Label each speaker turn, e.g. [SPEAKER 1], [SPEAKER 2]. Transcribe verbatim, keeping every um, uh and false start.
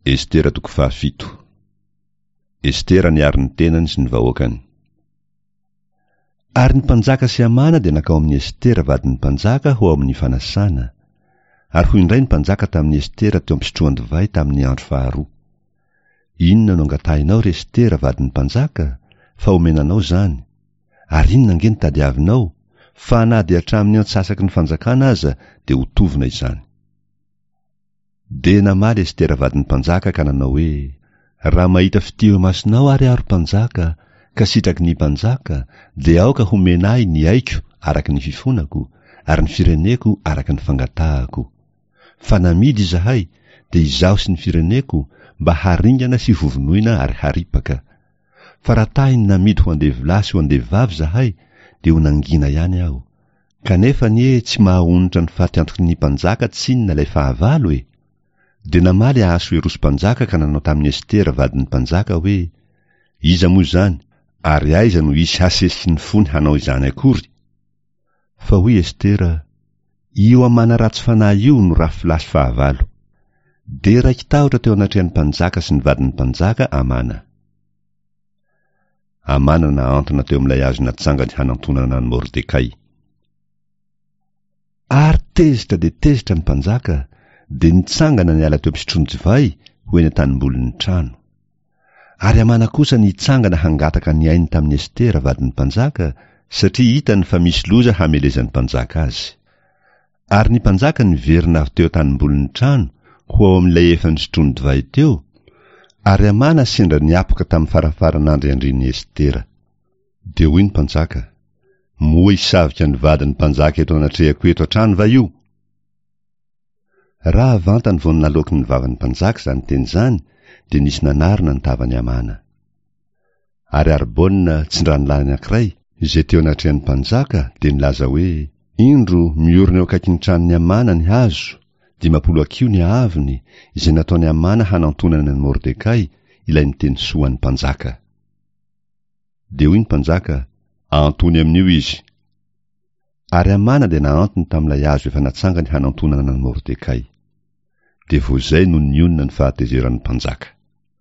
[SPEAKER 1] Estera toko fahafito. Estera niaro ny tenany sy ny vahoakany. Ary ny mpanjaka sy Hamana dia nankao amin'i Estera vadin'ny mpanjaka ho ao amin'ny fanasana. Ary hoy indray ny mpanjaka tamin'i Estera teo am-pisotroan-divay tamin'ny andro faharoa: Inona no angatahinao, ry Estera vadin'ny mpanjaka, fa omena anao izany? Ary inona ange no tadiavinao, fa na dia hatramin'ny antsasaky ny fanjakana aza dia ho tovona izany. Dia namaly Estera vadin'ny mpanjaka ka nanao hoe: Raha mahita fitia eo imasonao ary aho, ry mpanjaka, ka sitraky ny mpanjaka, dia aoka homena ahy ny aiko araka ny fifonako, ary ny fireneko araka ny fangatahako. Fa namidy izahay, dia izaho sy ny fireneko, mba haringana sy hovonoina ary haripaka. Fa raha tahiny namidy ho andevolahy sy ho andevovavy izahay, dia ho nangina ihany aho. Kanefa anie tsy mahaonitra ny faty antoky ny mpanjaka tsinona ilay fahavalo e! Dia namaly Ahasoerosy mpanjaka ka nanao tamin'i Estera vadin'ny mpanjaka hoe: Iza moa izany, ary aiza no hisy hasesiky ny fony hanao izany akory? Fa hoy Estera: Io Hamana ratsy fanahy io no rafilahy sy fahavalo. Dia raiki-tahotra teo anatrehan'ny mpanjaka sy ny vadin'ny mpanjaka Hamana. Hamana nahantona teo amin'ilay hazo natsangany hanantonana an'i Mordekay. Ary tezitra dia tezitra ny mpanjaka, dia nitsangana niala teo am-pisotroan-divay ho eny an-tanimbolin'ny trano. Ary Hamana kosa nitsangana hangataka ny ainy tamin'i Estera vadin'ny mpanjaka, satria hitany fa misy loza hamelezan'ny mpanjaka azy. Ary ny mpanjaka niverina avy teo an-tanimbolin'ny trano ho ao amin'ilay efa nisotroany divay teo, ary Hamana sendra niapoka tamin'ny farafaran'andriandrian'i Estera. Dia hoy ny mpanjaka: Moa hisavika ny vadin'ny mpanjaka eto anatrehako eto hatrany va io? Raha vantany vao naloaky ny vavan'ny mpanjaka izany teny izany, dia nisy nanarona ny tavan'i Hamana. Ary Arbona, tsindranolahy anankiray, izay teo anatrehan'ny mpanjaka, dia nilaza hoe: Indro, miorina eo akaikin'ny tranon'i Hamana ny hazo, dimampolo hakiho ny haavony, izay nataon'i Hamana hanantonana an'i Mordekay, ilay niteny soa an'ny mpanjaka. Dia hoy ny mpanjaka: Ahantony amin'io izy. Ary Hamana dia nahantony tamin'ilay hazo efa natsangany hanantonana an'i Mordekay. Dia vao izay no nionona ny fahatezeran'ny mpanjaka.